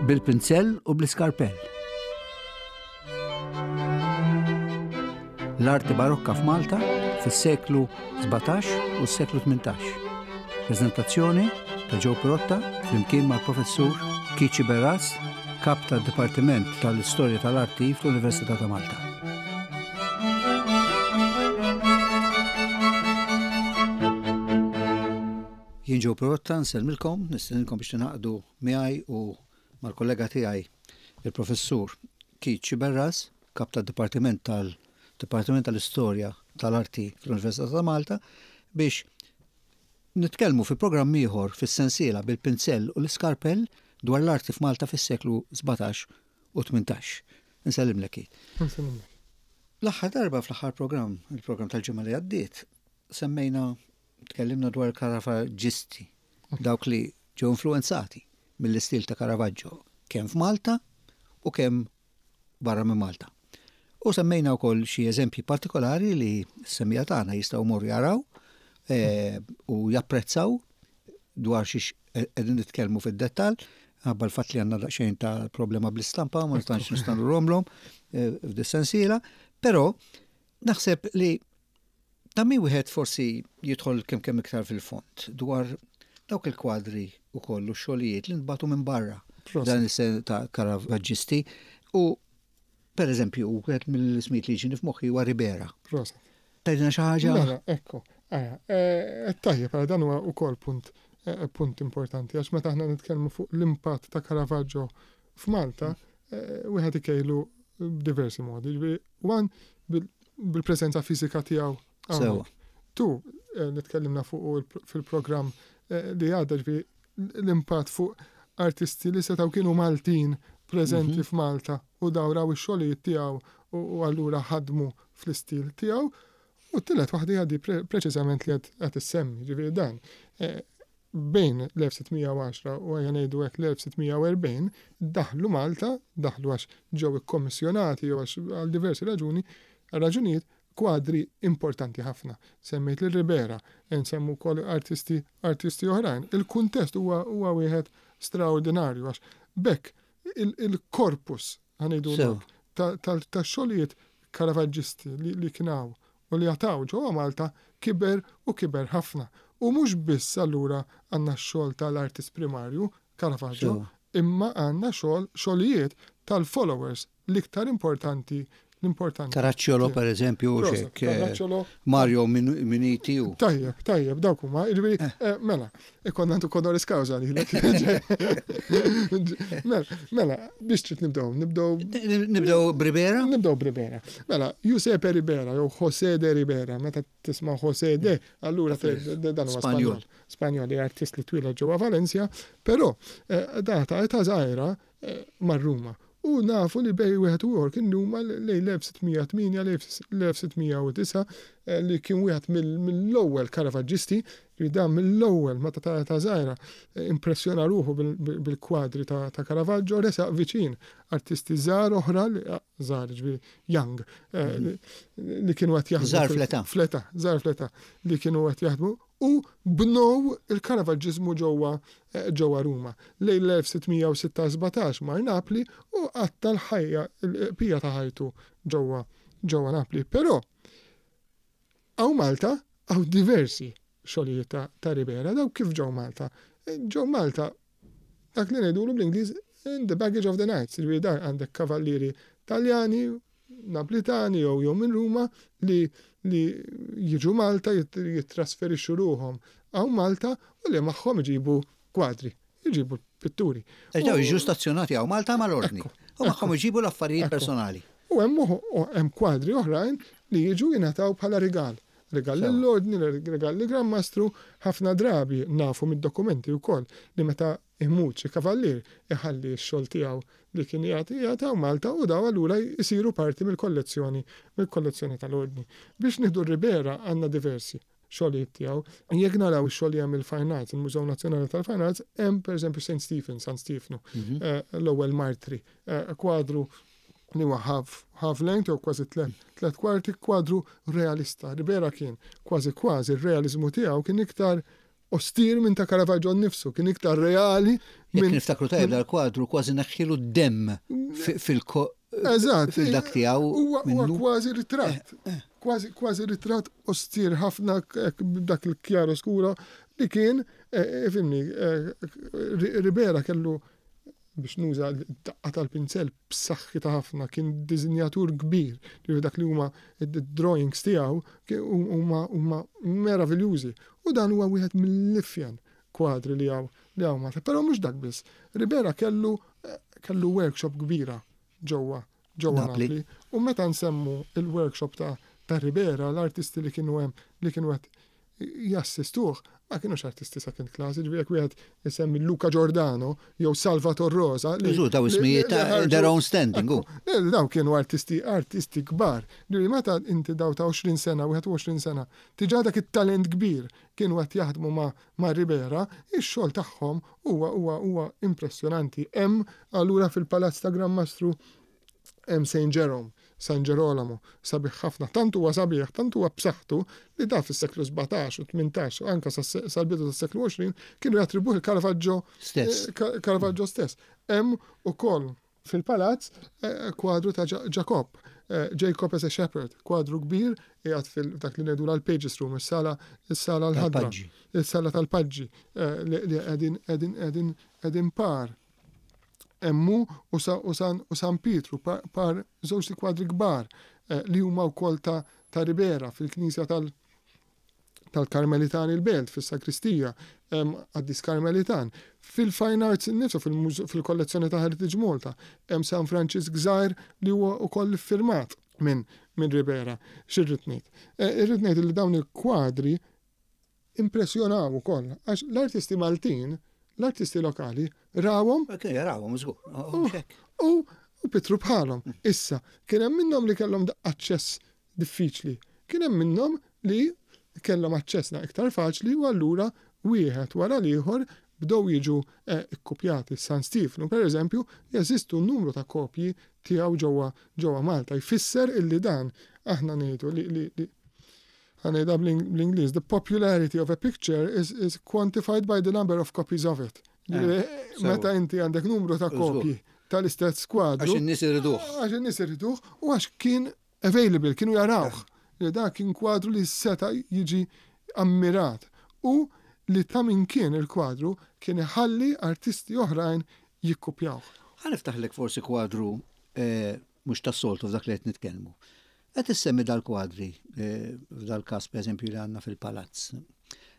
Bil-pinzell u bl-iskarpell. L-arti barokka f'Malta fis-seklu 17 u s-seklu 18. Prezentazzjoni ta' Joe Pirotta flimkien mal-professur Kici Berras, kap tad-Dipartiment tal-Istorja tal-Arti fl-Università ta' Malta. Jien Joe Pirotta nsellmilkom, nistedinkom biex tingħaqdu miegħi u mal-kollega tiegħi il-Professur Keith Sciberras, Kap tad-Dipartiment tal-Dipartiment tal-Istorja tal-Arti fl-Università ta' Malta, biex nitkellmu fi programm ieħor fis-sensiela bil-pinzell u l-iskarpell dwar l-arti f'Malta fis-seklu 17 u 18. Insellimlek Keith. Insellimlek. L-aħħar darba fl-aħħar programm, il-programm tal-ġimgħa li għaddiet, semmejna tkellimna dwar Caravaġġisti, dawk li ġew influenzati mill-istil ta' Caravaggio kemm f'Malta u kemm barra minn Malta. U semmejna wkoll xi eżempji partikolari li s-semmiegħa tagħna jistgħu jmorru jaraw eh, u japprezzaw dwar xiex qegħdin nitkellmu fid-dettall, ħabba l-fatt li għandna daqsxejn ta' problema bl-istampa, ma tantx nistgħu nurhomlhom eh, f'dis-sensiela, però naħseb li ta' min wieħed forsi jidħol kemm kemm iktar fil-fond dwar dawk il-kwadri u kollu xogħlijiet li nbatu minn barra dan is-sen ta' Caravaġġisti u per eżempju wieħed mill-ismijiet li jiġini f'moħħi huwa Ribera. Proset. Tgħidilna xi ħaġa? Mela, ekku. Eh, tajjeb, eh, dan huwa wkoll punt eh, punt importanti għax meta aħna nitkellmu fuq l-impatt ta' Caravaggio f'Malta, wieħed ikejlu b'diversi modi. Ġifieri, one bil-preżenza fiżika tiegħu. Sewa. Tu, li tkellimna fuq fil-programm li għadda ġifieri l-impatt fuq artisti li setgħu kienu Maltin preżenti mhm. f'Malta u daw raw ix-xogħlijiet tiegħu u allura ħadmu fl-istil tiegħu. U t-tielet waħda hija di preċiżament li qed issemmi, ġifieri dan eh, bejn l-1610 u ejja ngħidu hekk l-1640 daħlu Malta, daħlu għax ġew ikkommissjonati jew għax għal diversi raġuni, raġunijiet kwadri importanti ħafna. Semmejt lil Ribera, nsemmu wkoll artisti artisti oħrajn. Il-kuntest huwa huwa wieħed straordinarju għax b'hekk il-korpus ħa ngħidu hekk tax-xogħlijiet Caravaġġisti li kien hawn u li għad hawn ġewwa Malta kiber u kiber ħafna. U mhux biss allura għandna x-xogħol tal-artist primarju, Caravaggio, imma għandna xogħol xogħlijiet tal-followers l-iktar importanti l-importanti. Caracciolo per eżempju, u xek. Eh, Mario Miniti u. Tajjeb, tajjeb, dawk huma. Jiġifieri, eh. eh, mela, ikonna għandu honoris causa li Mela, mela, biex trid nibdew, nibdew. Nibdew Ribera? Nibdew Ribera. Mela, Giuseppe Ribera, jew José de Ribera, meta tisma' José de, allura dan huwa Spanjol. Spanjol li artist li twieled ġewwa Valencia, però data età żgħira mar Ruma. U nafu li bejn wieħed u ieħor kien huma lejn l-1608 l-1609 li kien wieħed mill-ewwel Caravaġġisti li dan mill-ewwel meta ta' età żgħira impressjona ruħu bil-kwadri ta' Caravaggio resaq viċin artisti żgħar oħra żgħar ġifieri young li kienu qed jaħdmu. Żgħar fl-età. Fl-età, żgħar fl-età li kienu qed jaħdmu u bnew il-Caravaġġiżmu ġewwa ġewwa Ruma. Lejn l-1606 mar Napli u qatta' l-ħajja l-bqija ta' ħajtu ġewwa ġewwa Napli. Però hawn Malta hawn diversi xogħlijiet ta' ta' Ribera, dawk kif ġew Malta? Ġew Malta dak li ngħidulu bl-Ingliż in the baggage of the knights, jiġifieri dan għandek kavallieri Taljani, Naplitani jew jew minn Ruma li li jiġu Malta jittrasferixxu ruħhom hawn Malta u li magħhom iġibu kwadri, iġibu pitturi. Għax dawn jiġu stazzjonati hawn Malta mal-Ordni u magħhom iġibu l-affarijiet personali. U hemm hemm kwadri oħrajn li jiġu jingħataw bħala rigal. Rigal lill-Ordni, rigal lill-Gran Mastru, ħafna drabi nafu mid-dokumenti wkoll li meta Imut xi kavallier iħalli x-xogħol tiegħu li kien jagħti qiegħed hawn Malta u dawn allura jsiru parti mill-kollezzjoni mill-kollezzjoni tal-Ordni. Biex nieħdu r-Ribera għandna diversi xogħlijiet tiegħu. Jekk naraw ix-xogħol li hemm il-Fine Arts, il-Mużew Nazzjonali tal-Fine Arts, hemm pereżempju Saint Stephen, San Stiefnu, l-ewwel martri, kwadru li huwa half, half length jew kważi tlet kwarti, kwadru realista. Ribera kien kważi kważi r-realiżmu tiegħu kien iktar. ostir minn ta' Caravaggio nnifsu, kien iktar reali minn. Jekk niftakru tajjeb dal-kwadru kważi neħħilu d-demm fil Eżatt. Fil-dak tiegħu. Huwa kważi ritratt. Kważi kważi ritratt ostir ħafna dak il-chiaro scuro li kien, fimni, Ribera kellu biex nuża d-daqqa tal-pinzell b'saħħitha ħafna, kien disinjatur kbir, ġifieri dak li huma d-drawings tiegħu huma huma meraviljużi. U dan huwa wieħed mill-ifjen kwadri li hawn li hawn Malta. Però mhux dak biss. Ribera kellu kellu workshop kbira ġewwa ġewwa Napli. U meta nsemmu il-workshop ta' ta' Ribera, l-artisti li kienu hemm li kienu qed jassistuh ma kinux artisti second class, jiġifieri jekk wieħed isemmi Luca Giordano jew Salvator Rosa. Żgur daw ismijiet ta' their own standing. Daw kienu artisti artisti kbar. Ġifieri meta inti daw ta' 20 sena, 21 sena, diġà dak it-talent kbir kienu qed jaħdmu ma' ma' Ribera, ix-xogħol tagħhom huwa huwa huwa impressjonanti. Hemm allura fil-Palazz ta' Gran Mastru hemm Saint Jerome, San Ġerolamo, sabiħ ħafna, tant huwa sabiħ, tant huwa b'saħħtu li da fis-seklu 17 u 18 u anke sal-bidu tas-seklu 20 kienu jattribwuh il-Caravaggio stess. Eh, Caravaggio stess. Hemm ukoll fil-palazz eh, kwadru ta' Jacob, eh, Jacob as a Shepherd, kwadru kbir qiegħed fil-dak li ngħidu l-Pages Room, is-sala is-sala l-ħadra, is-sala tal-paġġi li qegħdin qegħdin qegħdin qegħdin par. Hemm hu u u San Pietru par żewġt ikwadri kbar li huma wkoll ta' ta' Ribera fil-knisja tal tal-Karmelitani l-Belt fis-sagristija hemm qaddis Karmelitan. Fil-Fine Arts innifsu fil-kollezzjoni ta' Heritage Malta hemm San Franċisk żgħir li huwa wkoll iffirmat minn minn Ribera. X'irrid ngħid? Irrid ngħid li dawn il-kwadri impressjonaw ukoll għax l-artisti Maltin, l-artisti lokali rawhom. Kienu jarawhom żgur. U u pitru bħalhom. Issa, kien hemm minnhom li kellhom aċċess diffiċli. Kien hemm minnhom li kellhom aċċess iktar faċli u allura wieħed wara l-ieħor bdew jiġu eh, ikkupjati. San Stefnu, per eżempju, jeżistu numru ta' kopji tiegħu ġewwa ġewwa Malta. Jfisser illi dan aħna ngħidu li, li, li ħa ngħidha bl-Ingliż, the popularity of a picture is, is quantified by the number of copies of it. Eh, meta inti għandek numru ta' kopji tal-istess kwadru. Għax in-nies iriduh. Għax in-nies iriduh u għax kien available, kienu jarawh. Li da kien kwadru li seta' jiġi ammirat u li ta' min kien il-kwadru kien iħalli artisti oħrajn jikkupjawh. Ħa niftaħlek forsi kwadru eh, mhux tas-soltu f'dak li qed nitkellmu. Qed issemmi dal-kwadri, f'dal-każ pereżempju li għandna fil-palazz.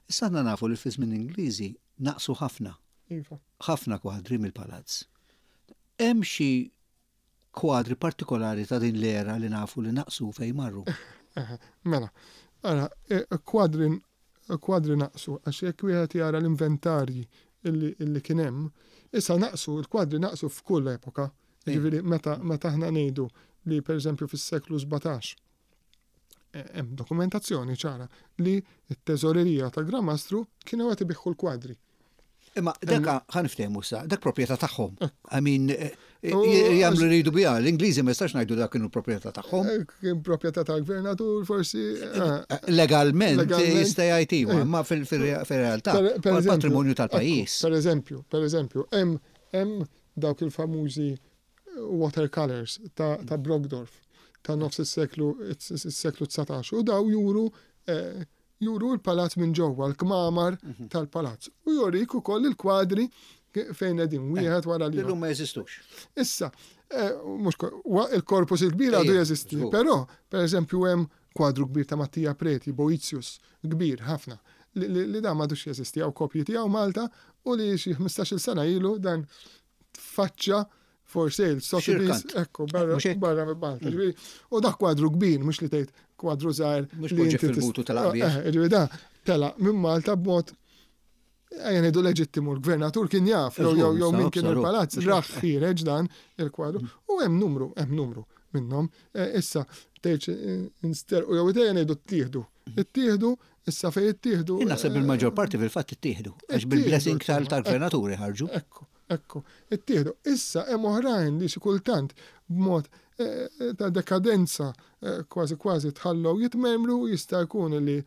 Issa aħna nafu li fi żmien Ingliżi naqsu ħafna. Iva. Ħafna kwadri mill-palazz. Hemm xi kwadri partikolari ta' din l-era li nafu li naqsu fejn marru? Mela, ara, kwadri kwadri naqsu għax jekk wieħed jara l-inventarji illi kien hemm, issa naqsu, il-kwadri naqsu f'kull epoka. Jiġifieri meta meta aħna ngħidu li pereżempju fis-seklu 17 eh, hemm dokumentazzjoni ċara li t-teżorerija ta' Gran Mastru kienu qed ibiħħu l-kwadri. Imma dak ħa niftehmu sa, dak proprjetà tagħhom. I mean, eh, eh, jagħmlu li jridu biha, l-Ingliżi ma jistax ngħidu dak kienu proprjetà tagħhom. Kien proprjetà tal-gvernatur forsi. Legalment jista' jgħid iva, imma fil-realtà patrimonju tal-pajjiż. Per eżempju, per eżempju, hemm dawk il-famużi watercolors ta', ta Brockdorff ta' nofs is-seklu is-seklu 19 u daw juru eh, juru l-palazz minn ġewwa, l-kmamar mhm. tal-palazz. U jurik ukoll il-kwadri fejn qegħdin eh, wieħed wara li. Illum ma jeżistux. Issa, eh, mhux il-korpus il-kbir għadu jeżisti, però pereżempju hemm kwadru kbir ta' Mattia Preti, Boetius, kbir ħafna, li dan m'għadux jeżisti, hawn kopji tiegħu Malta u li xi 15-il sena ilu dan tfaċċa for sale, Sotheby's, ekku, barra barra minn Malta. Mm. U dak kwadru kbir, mhux li tgħid kwadru żgħir. Mhux li inti fil-butu tal-qabja. Eh, eh, ġifieri da tela minn Malta b'mod ejja ngħidu leġittimu l-gvernatur kien jaf jew jew jew min kien il-palazz raħ ħiereġ dan il-kwadru mm. u hemm numru, hemm numru minnhom. Eh, issa tgħidx insterqu jew ejja ngħidu ttieħdu. Ittieħdu, issa fejn ittieħdu. Jien naħseb il-maġġor parti fil-fatt ittieħdu, għax bil-blessing tal-gvernaturi ħarġu. Ekku, ekku, ittieħdu. Issa hemm oħrajn li xi kultant b'mod eh, ta' dekadenza eh, kważi kważi tħallew jitmermru jista' jkun li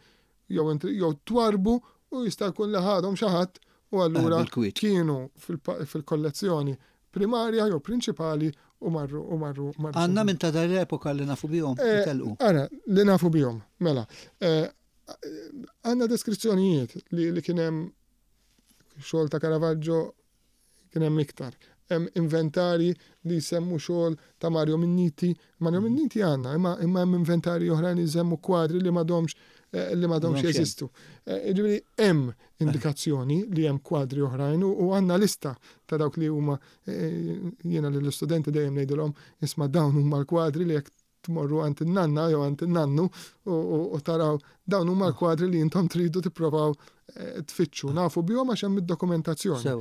jew jew twarbu u jista' jkun li ħadhom xi ħadd u allura kienu fil-kollezzjoni primarja jew prinċipali u marru u marru marru. Għandna minn ta' dal-epoka li nafu bihom eh, telqu. Ara, li nafu bihom, mela. Eh, għandna deskrizzjonijiet li, li kien hemm xogħol ta' Caravaggio kien hemm iktar. Hemm inventarji li jsemmu xogħol ta' Mario Minniti. Mario Minniti għandna, imma imma hemm inventarji oħrajn li jsemmu kwadri li m'għadhomx eh, li m'għadhomx jeżistu. Eh, jiġifieri hemm indikazzjoni li hemm kwadri oħrajn u għandna lista ta' dawk li huma eh, jiena lill-istudenti dejjem ngħidilhom isma' dawn huma l-kwadri li jekk tmorru għand in-nanna jew għand in-nannu u taraw dawn huma l-kwadri li intom tridu tipprovaw eh, tfittxu. Nafu bihom għax hemm id-dokumentazzjoni.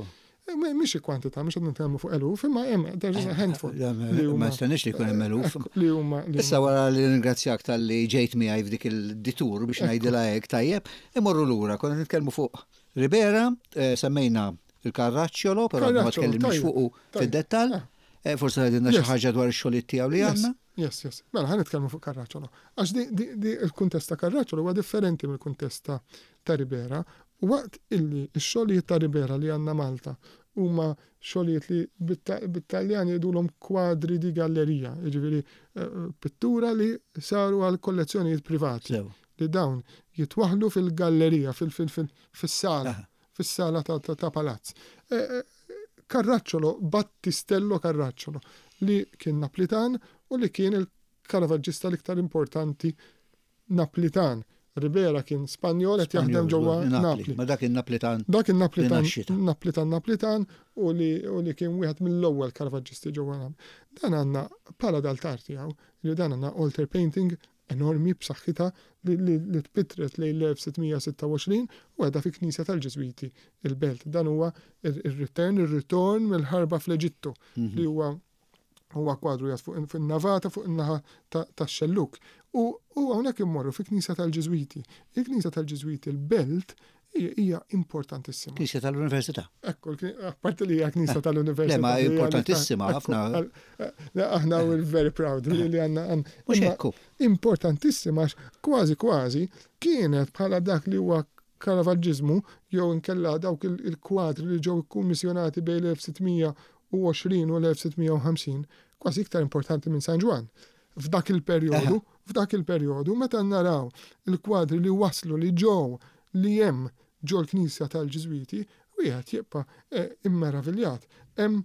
Eh, mhix il-kwantità, mhux qed nitkellmu fuq eluf, imma hemm there's a handful. Eh, ma nistenniex li jkun hemm eluf. Li huma. Issa wara li ringrazzjak tal-li ġejt miegħi f'dik il-ditur biex ngħidilha hekk tajjeb, imorru lura, konna nitkellmu fuq Ribera, semmejna il-Carracciolo, però ma tkellimniex fuqu fid-dettall. Eh, forse tgħidilna xi ħaġa dwar ix-xogħlijiet tiegħu li għandna? Yes, yes. Mela ħa nitkellmu fuq Carracciolo. Għax di il-kuntest ta' Carracciolo huwa differenti mill-kuntest ta' Ribera. Waqt illi x-xogħlijiet ta' Ribera li għandna Malta huma xogħlijiet li bit-Taljan jgħidulhom kwadri di gallerija, jiġifieri eh, pittura li saru għal kollezzjonijiet privati. Li dawn jitwaħlu fil-gallerija, fis-sala. fis-sala ta' palazz. E, e, Carracciolo, Battistello Carracciolo, li kien Naplitan u li kien il-Caravaggista l-iktar importanti Naplitan. Ribera kien Spanjol qed jaħdem ġewwa Napli. Ma dak in-Naplitan. Dak in-Naplitan, Naplitan Naplitan u li, u li kien wieħed mill-ewwel Caravaġġisti ġewwa Napli. Dan għandna pala d'altar tiegħu, li dan għandna altar painting enormi b'saħħitha li tpittret lejn l-1626 u qiegħda fi knisja tal-Ġiżwiti il-Belt. Dan huwa ir-return, ir-ritorn mill-ħarba fl-Eġittu mhm. li huwa huwa kwadru jgħat fuq fin-navata fuq in-naħa tax-xelluk. U hawnhekk immorru fi knisja tal-Ġiżwiti. Il-knisja tal-Ġiżwiti l-Belt hija importantissima. Knisja tal-Università. Ekku, apparti li hija knisja tal-Università. Le, ma importantissima ħafna. Aħna we're very proud li għandna. Mhux ekku. Importantissima kważi kważi kienet bħala dak li huwa Caravaġġiżmu jew inkella dawk il-kwadri li ġew ikkummissjonati bejn l-1620 u l-1650 kważi iktar importanti minn San Ġwann. F'dak il-perjodu, f'dak il-perjodu meta naraw il-kwadri li waslu li ġew li hemm ġol-knisja tal-Ġiżwiti, wieħed jibqa' eh, immeraviljat. Hemm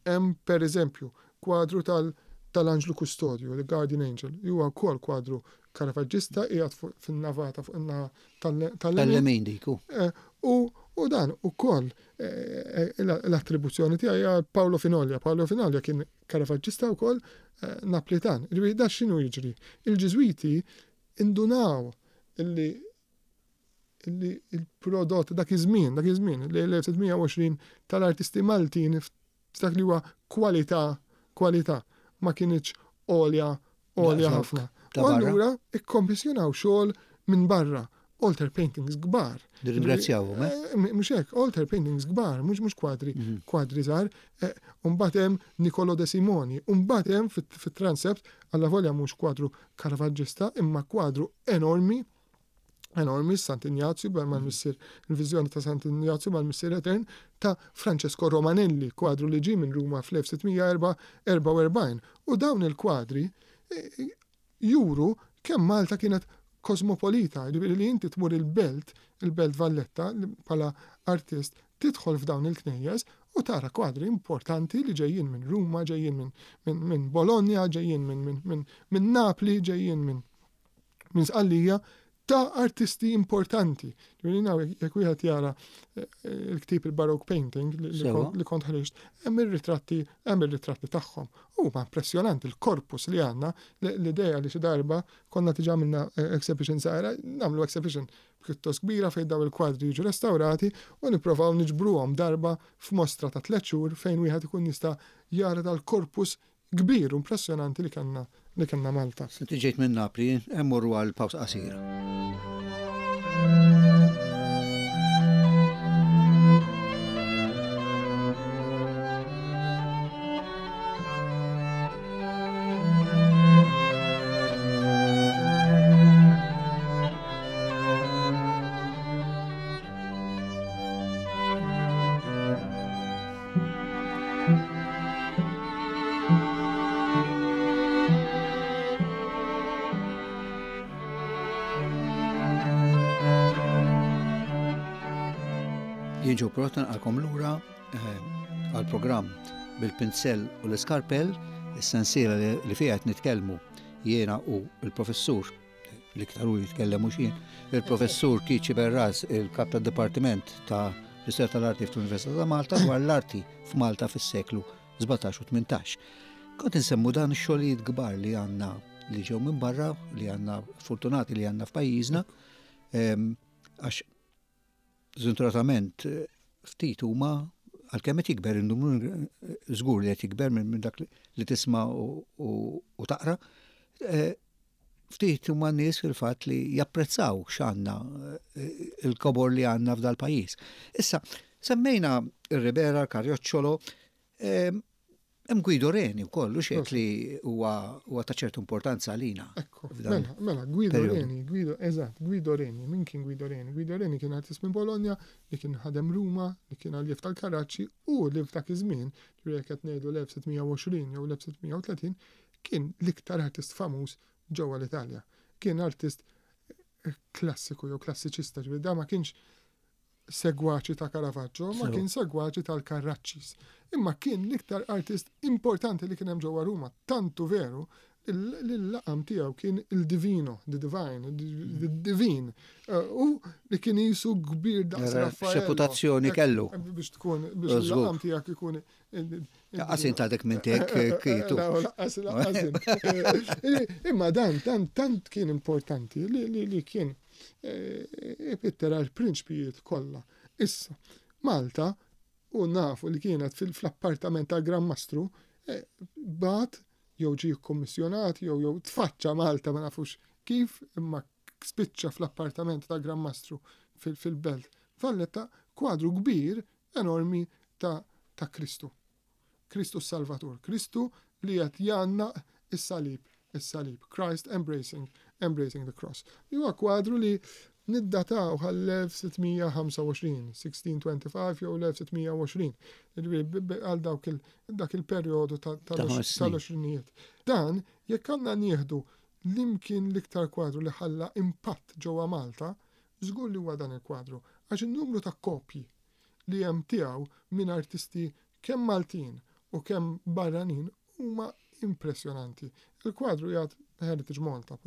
hemm pereżempju kwadru tal tal-Anġlu Kustodju, the Guardian Angel, li huwa wkoll kwadru Caravaggista qiegħed fin-navata fuq in-naħa tal-lemin diku. Eh, u u dan ukoll eh, l-attribuzzjoni tiegħi hija Paolo Finoglia. Paolo Finoglia kien Caravaggista wkoll Naplitan. Ġifieri da x'inhu jiġri? Il-Ġiżwiti indunaw illi illi il-prodott dak iż-żmien, dak iż-żmien, l-1620 tal-artisti Maltin f'dak li huwa kwalità, kwalità ma kinitx għolja għolja ħafna. U allura ikkommissjonaw xogħol minn barra altar paintings kbar. Nirringrazzjawhom, eh? eh mhux hekk, altar paintings kbar, mhux mhux kwadri, mhm. kwadri żgħar. Eh, u mbagħad hemm Nicolo de Simoni, u mbagħad hemm fit-transept alla volja mhux kwadru Caravaggista imma kwadru enormi enormi Sant'Ignazju mal-missier il-viżjoni ta' Sant'Ignazju mal-missier etern ta' Francesco Romanelli, kwadru li ġie minn Ruma fl-1644. U dawn il-kwadri eh, juru kemm Malta kienet kosmopolita, jiġifieri li inti tmur il-belt, il-Belt Valletta, bħala artist, tidħol f'dawn il-knejjes u tara kwadri importanti li ġejjin minn Ruma, ġejjin minn min, min Bologna, ġejjin minn min, min, min Napli, ġejjin minn min Sqallija, ta' artisti importanti. Ġifieri jekk wieħed jara eh, il-ktieb il-Baroque Painting li kont ħriġt, hemm ir-ritratti, hemm ir-ritratti tagħhom. Huma impressjonanti l-korpus li għandna, l-idea li xi darba konna diġà għamilna eh, exhibition żgħira, nagħmlu exhibition pjuttost kbira fejn daw il-kwadri jiġu restawrati u nipprovaw niġbruhom darba f'mostra ta' tliet xhur fejn wieħed ikun jista' jara dal-korpus kbir u impressjonanti li kellna li kellna Malta. Inti ġejt minn Napli, immorru għal pawsa qasira. Jien Joe Perrotta naqalkom lura eh, għal-programm bil-pinsell u l-iskarpell, is-sensiela li fiha qed nitkellmu jiena u l-professur l-iktar hu jitkellem mhux jien, il-professur Kiċi Berras, il-kap tad-Dipartiment ta' l-Istorja tal-Arti fl-Università ta' Malta dwar l-arti f'Malta fis-seklu 17 u 18. Kont insemmu dan ix-xogħlijiet kbar li għandna li ġew minn barra, li għandna fortunati li għandna f'pajjiżna, ehm, għax żventuratament ftit huma għalkemm qed jikber in-numru żgur li qed jikber minn dak li tisma' u taqra, eh, ftit huma nies fil-fatt li japprezzaw x'għandna eh, il-kobor li għandna f'dal pajjiż. Issa, semmejna ir-Ribera, l-Karjoċċolo, eh, Hemm Guido Reni wkoll, u xejn li huwa ta' ċertu importanza għalina. Ekku, mela, mela, Guido Reni, Guido, eżatt, Guido Reni, min kien Guido Reni? Guido Reni kien artist minn Bologna, li kien ħadem Ruma, li kien għaljev tal-Karaċċi u li f'dak iż-żmien, ġifieri qed ngħidu l-1620 jew l-1630, kien l-iktar artist famuż ġewwa l-Italja. Kien artist klassiku jew klassiċista, ġifieri da ma kienx segwaċi ta' Caravaggio, ma kien segwaċi tal-Carraccis. Imma kien l-iktar artist importanti li kien hemm ġewwa Ruma, tantu veru li l-laqam tiegħu kien il-divino, the divine, the divine. Eh, u li kien jisu kbir daqs Raffaello. Reputazzjoni kellu. Biex tkun, biex il-laqam tiegħek ikun. Laqas int għadek minn tek eh, kietu. Laqas, laqas. Imma dan, tant kien importanti li kien ipittera l-prinċpijiet kollha. Issa, Malta, u nafu li kienet fl-appartament tal-Gran Mastru, eh, bat jew ġie kkommissjonat jew jew tfaċċa Malta ma nafux kif imma spiċċa fl-appartament tal-Gran Mastru fil-belt Valletta kwadru kbir enormi ta' ta' Kristu. Kristu s-Salvatur, Kristu li qed jgħannaq is-salib, is-salib, Christ embracing, embracing the cross. Li huwa kwadru li niddataw għall-1625, 1625 jew l-1620, għal dawk dak il-perjodu tal-għoxrinijiet. Dan, jekk għandna nieħdu l-imkien l-iktar kwadru li ħalla impatt ġewwa Malta, żgur li huwa dan il-kwadru, għax in-numru ta' kopji li hemm tiegħu minn artisti kemm Maltin u kemm barranin huma impressjonanti. Il-kwadru qiegħed Heritage Malta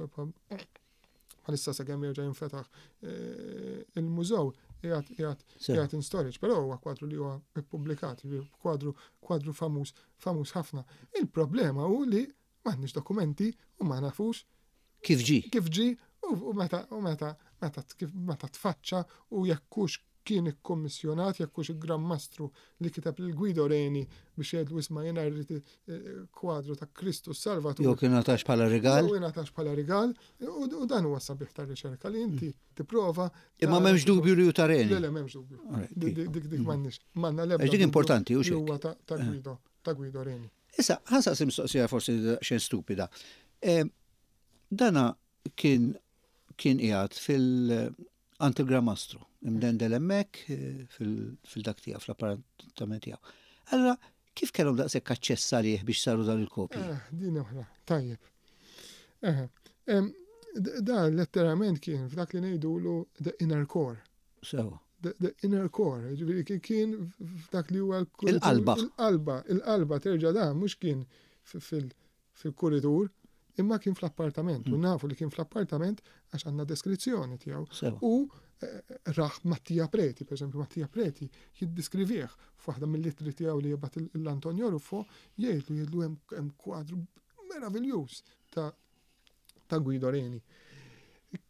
bħalissa sakemm jerġa' jinfetaħ eh, il-mużew qiegħed qiegħed qiegħed in storage, però huwa kwadru li huwa ippubblikat, kwadru kwadru famuż famuż ħafna. Il-problema hu li m'għandniex dokumenti u ma nafux kif ġi. Kif ġi u meta u meta meta kif meta tfaċċa u jekk hux kien ikkommissjonat jekk hux il-Gran Mastru li kiteb lil Guido Reni biex jgħidlu isma' jiena rrid eh, kwadru ta' Kristu Salvatur. Jew kien ngħatax bħala rigal. Jew ingħatax bħala rigal u dan huwa sabiħ tar-riċerka li inti tipprova. Imma m'hemmx dubju li hu ta' Reni. Le, le, m'hemmx dubju. Dik dik dik m'għandniex. M'għandna l-ebda. Dik importanti u xi. Huwa ta' eh. Guido, ta' Guido Reni. Issa, ħa nsaqsi mistoqsija forsi daqsxejn stupida. Dana kien kien qiegħed fil għand il-Gran Mastru, imdendel hemmhekk fil-dak tiegħu, fl-appartament tiegħu. Allura, kif kellhom daqshekk aċċess għalih biex saru dan il-kopji? Eh, din oħra, tajjeb. Eh, da letteralment kien f'dak li ngħidulu the inner core. Sewa. The inner core, ġifieri kien f'dak li huwa il-qalba. Il-qalba, il-qalba terġa' da mhux kien fil-kuritur, imma kien fl-appartament. U mm. nafu li kien fl-appartament għax għandna deskrizzjoni tiegħu. U eh, raħ Mattia Preti, per esempio Mattia Preti jiddiskrivih f'waħda mill-ittri tiegħu li jibgħat l-Antonio Ruffo jgħidlu jgħidlu hemm kwadru meraviljuż ta' ta' Guido Reni.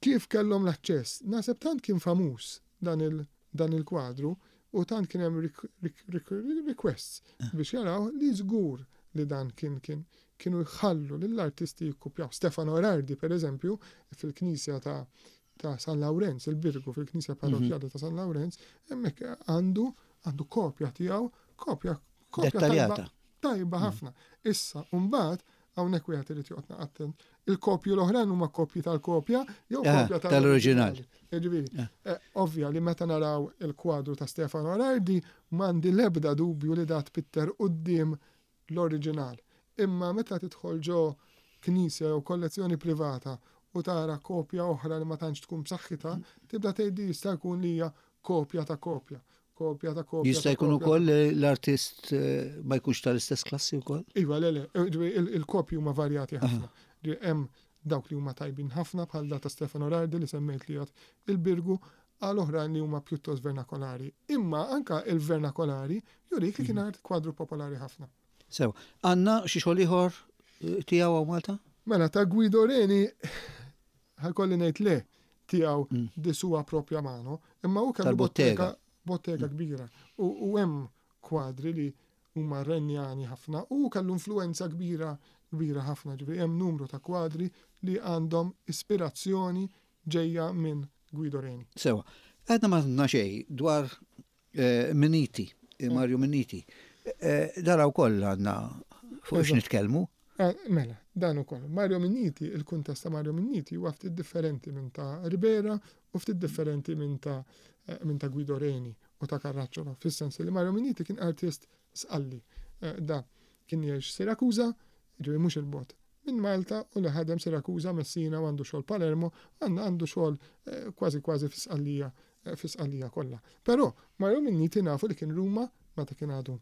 Kif kellhom l-aċċess? Naħseb tant kien famuż dan il dan il-kwadru u tant kien hemm requests eh. biex jaraw li żgur li dan kien kien kienu jħallu lill-artisti jikkupjaw. Stefano Erardi, per eżempju, fil-knisja ta' ta' San Lawrenz, il-Birgu fil-knisja mhm. parrokjali ta' San Lawrenz, hemmhekk għandu għandu kopja tiegħu, kopja kopja tajba, tajba mhm. ħafna. Issa, mbagħad Hawnhekk wieħed irid joqgħod attent. Il-kopji l-oħrajn huma kopji tal-kopja jew eh, kopja tal-oriġinal. Jiġifieri, eh. eh, ovvja li meta naraw il-kwadru ta' Stefano Arardi m'għandi l-ebda dubju li dat pitter quddiem l-oriġinal. Imma meta tidħol ġo knisja jew kollezzjoni privata u tara kopja oħra li ma tantx tkun b'saħħitha, tibda tgħid li jista' jkun li hija kopja ta' kopja. kopja ta' kopja. Jista' jkun ukoll l-artist eh, ma jkunx tal-istess klassi wkoll? Iva, le, le, eh, il-kopji huma varjati ħafna. Hemm dawk li huma tajbin ħafna bħal da ta' Stefano Rardi li semmejt li jgħod il-Birgu għal oħrajn li huma pjuttost vernakolari. Imma anka il-vernakolari jurik li kien mhm. art kwadru popolari ħafna. Sew, għandna xi xogħol ieħor eh, tiegħu hawn Malta? Mela ta' Guido Reni ħajkolli ngħid le tiegħu mm. di sua propja mano, imma hu kellu bottega bottega mm. kbira u hemm kwadri li huma renjani ħafna u kellu influenza kbira kbira ħafna, ġifieri hemm numru ta' kwadri li għandhom ispirazzjoni ġejja minn Guido Reni. Sewa, għedna ma xej dwar eh, Miniti, eh, Mario Miniti. Eh, dara wkoll għandna fuq x nitkellmu. Mela, dan ukoll. Mario Minniti, il-kuntest ta' Mario Minniti huwa ftit differenti minn ta' Ribera u ftit differenti minn ta' minn ta' Guido Reni u ta' Carracciolo, fis-sens li Mario Minniti kien artist sqalli. Da kien jgħix Sirakuża, ġifieri mhux il-bogħod minn Malta u li ħadem Sirakuża, Messina u għandu xogħol Palermo, għandu xogħol kważi kważi fi Sqallija fi Sqallija kollha. Però Mario Minniti nafu li kien Ruma meta kien għadu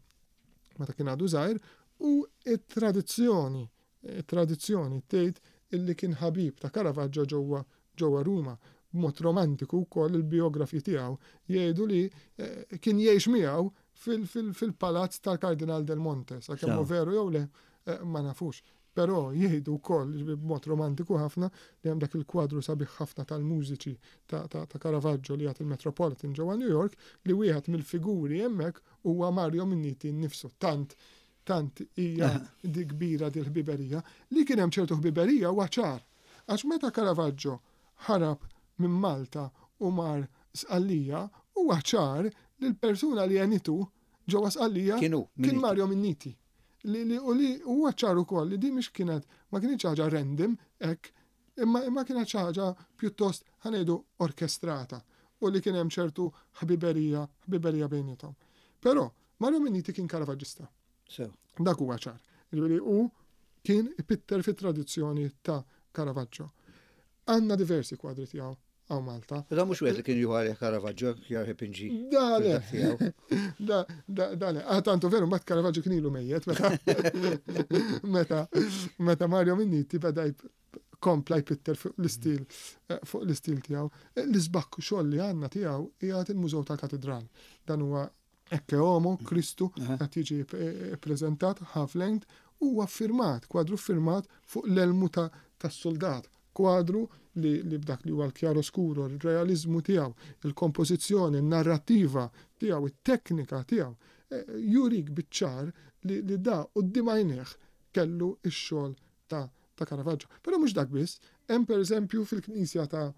meta kien għadu żgħir u t-tradizzjoni it-tradizzjoni tgħid illi kien ħabib ta' Caravaggio ġewwa ġewwa Ruma. B'mod romantiku wkoll il-bijografi tiegħu jgħidu li eh, kien jgħix miegħu fil-palazz tal-Kardinal del Monte, sakemm hu veru jew le eh, ma nafux. Però jgħidu wkoll, jiġifieri b'mod romantiku ħafna, li hemm dak il-kwadru sabiħ ħafna tal-mużiċi ta' ta' Caravaggio li jagħti il-Metropolitan ġewwa New York, li wieħed mill-figuri hemmhekk huwa Mario Minniti nnifsu. Tant tant hija di kbira di l-ħbiberija. Li kien hemm ċertu ħbiberija huwa ċar. Għax meta Caravaggio ħarab minn Malta u mar Sqallija, huwa ċar li l-persuna li għenitu ġewwa Sqallija kien Mario Minniti. Li, li, u li huwa ċar ukoll li din mhix kienet ma kinitx ħaġa random hekk, imma imma kienet xi ħaġa pjuttost ħa ngħidu orkestrata u li kien hemm ċertu ħbiberija ħbiberija bejniethom. Però Mario Minniti kien Caravaggista. Sew. Dak huwa ċar. Jiġifieri hu kien ipitter fit-tradizzjoni ta' Caravaggio. Għandna diversi kwadri tiegħu hawn Malta. Da mhux wieħed li kien juħu għalih Caravaggio jarħ ipinġi. Da le. Da, da, da le. Ah, tantu veru mbagħad Caravaggio kien ilu mejjet meta meta meta Mario Minniti beda kompla jpitter fuq l-istil eh, fuq l-istil tiegħu. Eh, l-isbakk xogħol li għandna tiegħu qiegħed il-Mużew tal-Katidral. Dan huwa Ecce Homo, Kristu, qed jiġi ppreżentat half length, huwa ffirmat, kwadru ffirmat fuq l-elmu tas-suldat. Kwadru li, li b'dak li huwa l-chiaroscuro, ir-realiżmu tiegħu, il-kompożizzjoni, in-narrattiva tiegħu, it-teknika tiegħu, jurik biċ-ċar li, li da quddiem għajnejh kellu x-xogħol ta', ta' Caravaggio. Però mhux dak biss, hemm pereżempju fil-knisja ta'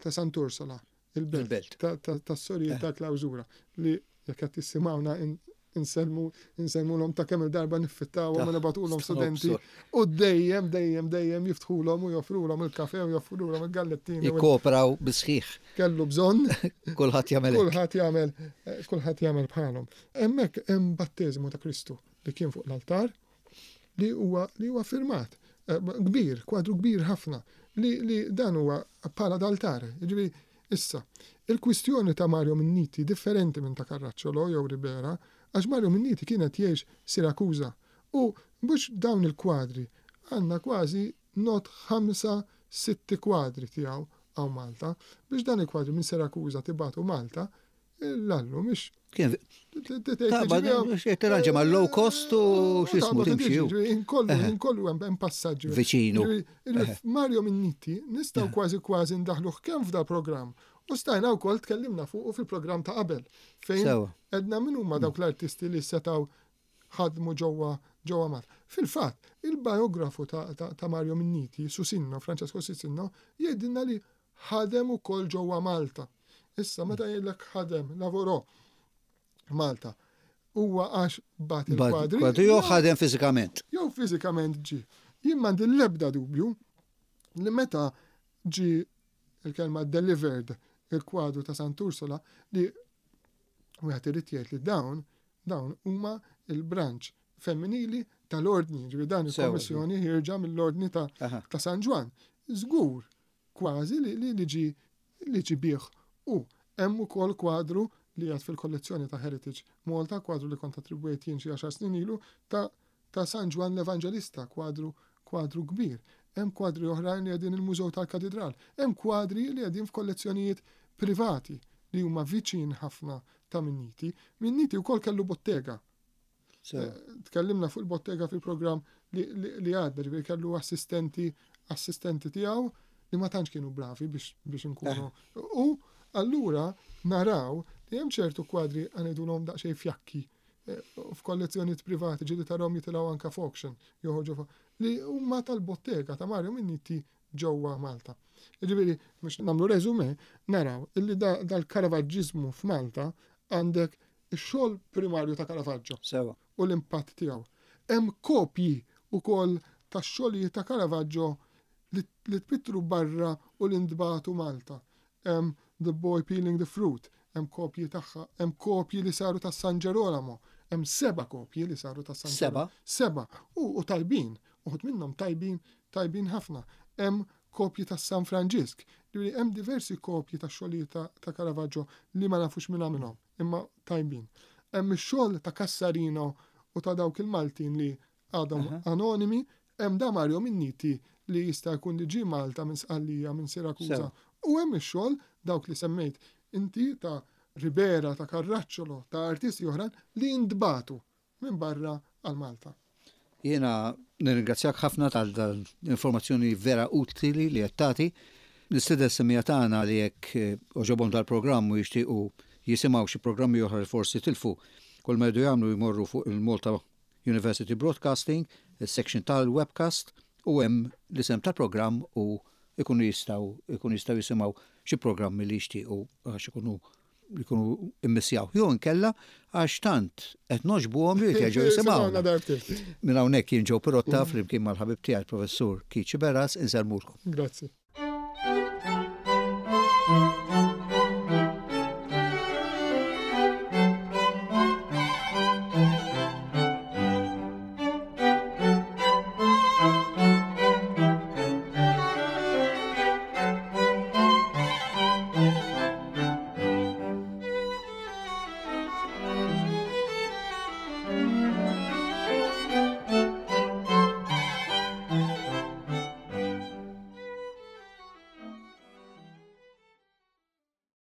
ta' Sant'Ursola, il-belt tas-sorijiet eh. ta' klawżura li jekk qed tissimgħuna insellmu insellmulhom ta' kemm il-darba niffittawhom u nibatulhom studenti u dejjem dejjem dejjem jiftħulhom u joffrulhom il-kafe u joffrulhom il-gallettini. Jikkooperaw bisħiħ. Kellu bżonn. Kulħadd jagħmel. Kulħadd jagħmel eh, kulħadd jagħmel bħalhom. Hemmhekk hemm batteżmu ta' Kristu li kien fuq l-altar li huwa li huwa firmat eh, kbir, kwadru kbir ħafna li, li dan huwa bħala d'altar. Jiġifieri issa, il-kwistjoni ta' Mario Minniti differenti minn ta' Carracciolo jew Ribera, għax Mario Minniti kienet jgħix Sirakuża u mhux dawn il-kwadri għandna kważi not ħamsa sitti kwadri tiegħu hawn Malta biex dan il-kwadri minn Sirakuża tibagħtu Malta L-allu, mhix. Kien. Tirranġa ma' low cost u x'ismu timxi. Inkollu, inkollu hemm passaġġi. Viċinu. Mario Minniti nistgħu kważi kważi ndaħluh kemm f'da programm u stajna wkoll tkellimna fuqu fil-programm ta' qabel. Fejn edna min huma dawk l-artisti li setgħu ħadmu ġewwa ġewwa Malta. Fil-fatt, il-biografu ta' Mario Minniti, Susinno, Francesco Susinno, jgħidilna li ħadem ukoll ġewwa Malta. Issa meta jgħidlek ħadem, lavorò Malta, huwa għax bat il-kwadri. Kwadri jew ħadem fiżikament. Jew fiżikament ġie. Jien m'għandi l-ebda dubju li meta ġie il-kelma delivered il-kwadru ta' Sant'Ursula li wieħed irid jgħid li dawn dawn huma il-branch femminili tal-ordni, ġifieri dan il-kommissjoni ħierġa mill-ordni ta', ta San Ġwann. Żgur kważi li li li ġie li ġie bih hu. Hemm ukoll kwadru li qiegħed fil-kollezzjoni ta' Heritage Malta, kwadru li kont attribwejt jien xi għaxar snin ilu, ta' ta' San Ġwann l-Evanġelista, kwadru kwadru kbir. Hemm kwadri oħrajn li qegħdin il-Mużew tal-Katidral. Hemm kwadri li qegħdin f'kollezzjonijiet privati li huma viċin ħafna ta' Minniti. Minniti wkoll kellu bottega. Eh, tkellimna fuq il-bottega fil-programm li għadda, ġifieri kellu assistenti assistenti tiegħu li ma tantx kienu bravi biex biex inkunu. Eh. U allura naraw li hemm ċertu kwadri għanidulhom daqsxejn fjakki eh, f'kollezzjonijiet privati ġieli tarahom jitilgħu anka f'auction joħorġu li huma tal-bottega ta' Mario Minniti ġewwa Malta. Jiġifieri biex nagħmlu resume naraw illi dal-Karavaġġiżmu f'Malta għandek ix-xogħol primarju ta' Caravaggio. Sewa. U l-impatt tiegħu. Hemm kopji wkoll tax-xogħlijiet ta' Caravaggio li tpittru barra u li ntbagħtu Malta. Hemm The Boy Peeling the Fruit, hemm kopji tagħha, hemm kopji li saru ta' San Ġerolamo, hemm seba' kopji li saru ta' San Seba'? Seba'. U tajbin, uħud minnhom tajbin, tajbin ħafna. Hemm kopji ta' San Franġisk. Ġifieri hemm diversi kopji ta' xogħlijiet ta' Caravaggio li ma nafux min għamilhom, imma tajbin. Hemm ix-xogħol ta' Cassarino u ta' dawk il-Maltin li għadhom anonimi, hemm da Mario Minniti li jista' jkun li ġie Malta minn Sqallija, minn Sirakuża. U hemm ix-xogħol dawk li semmejt inti ta' Ribera, ta' Carracciolo, ta' artisti oħrajn li ntbagħtu minn barra għal Malta. Jiena nirringrazzjak ħafna tal dan l-informazzjoni vera utili li qed tagħti. Nistieden is-semmiegħa tagħna li jekk eh, għoġobhom dal-programm u jixtiequ jisimgħu xi programmi oħra li forsi tilfu, kull ma jridu jagħmlu jmorru fuq il-Malta University Broadcasting, is-section tal-webcast u hemm l-isem tal-programm u ikunu jistgħu ikunu jistgħu jisimgħu xi programmi li jixtiequ għax ikunu jkunu immissjaw. Jew inkella għax tant qed nogħġbuhom li jerġgħu jisimgħuna. Minn hawnhekk jien Joe Pirotta flimkien mal-ħabib tiegħi professur Keith Sciberras insellmulkom. Grazzi.